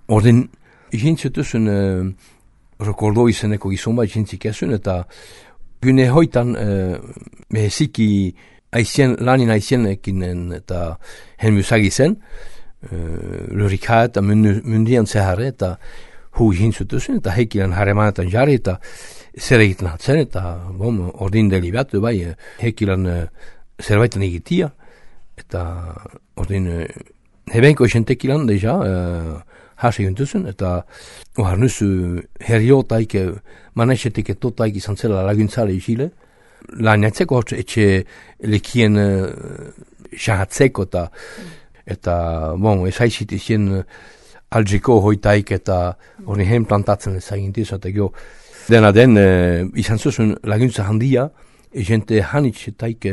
Ordin, izintzutuzun rekordo izeneko gizon bat izintzik ezun, eta gune hoitan meheziki lanin aizienekin eta hen musagi zen, lurika eta mundian zeharre, eta hu izintzutuzun, eta heikilan haremanetan jarri, eta zer egiten hatzen, eta ordin delibatu bai, heikilan zerbaitan egitia, eta ordin hebenko esentekilan deja, hasi gintuzen, eta harnuzu herriotaik, manesetik etotaik izan zela laguntzale isile, lan jatzeko etxe lekien shahatzeko, eta ez haizit izien algiko hoitaik, eta hori hen plantatzen ezagintiz, eta gio, dena den, izan zuzun laguntza handia, jente hanitxetaik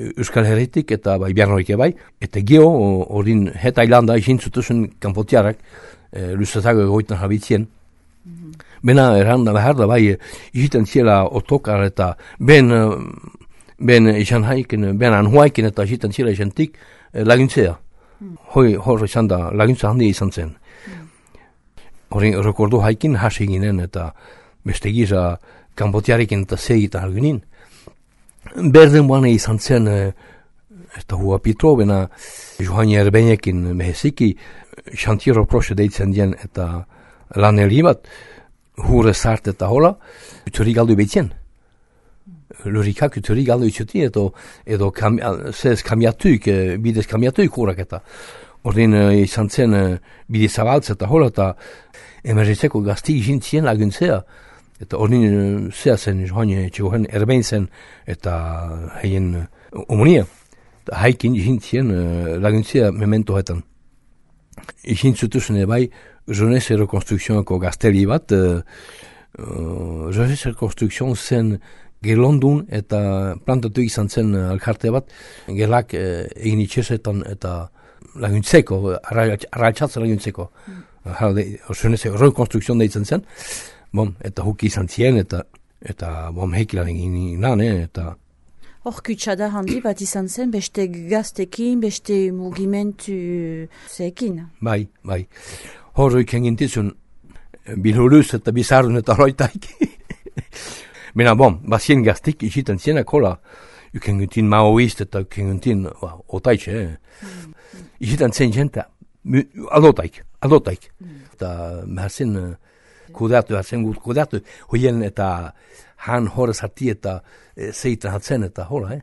Euskal Herritik eta bai Biarnoik bai, eta geo, ordin het ailanda izin zutuzun kanpotiarak, luzatago egoitan jabitzien. Bena erranda behar da bai, iziten ziela otokar eta ben izan haiken, ben anhuaiken eta iziten ziela izentik laguntzea. Hor izan da, laguntza handia izan zen. Horin rekordu haikin hasi ginen eta beste giza kanpotiarekin eta segita algunin. Berden buane izan zen, eta hua pitro, bena Johanni Erbenekin meheziki, xantiero proxe deitzen dien eta lan bat, hure zart eta hola, uturi galdu behitzen. Lurikak uturi galdu itxuti, edo zez kamiatuik, bidez kamiatuik hurak eta. Ordin izan zen bide zabaltz eta hola, eta emerritzeko gazti izintzien laguntzea. Eta ordin zea zen Johanni Txegohen Erbein zen eta haien omonia. Haikin izintzien laguntzea memento hetan. Izintzutuzune bai, Jeunesse Rekonstrukzionako gazteli bat, Jeunesse Rekonstrukzion zen gelondun eta plantatu izan zen alkarte bat, gelak egin itxesetan eta laguntzeko, arraitzatzen laguntzeko. Jeunesse Rekonstrukzion deitzen zen, eta huki izan zien, eta heikilan egin lan, eta... Hor kutsada handi bat izan zen, beste gaztekin, beste mugimentu zeekin. Bai. Hor egin gintizun, bilhuluz eta bizarrun eta roitaik. Bena, bazien gaztik iziten zienak hola, uken gintin maoist eta uken gintin otaitxe. Iziten zen jenta, adotaik. Eta behar kudeatu, hoien eta han horrez hati eta zeitan hatzen eta hola,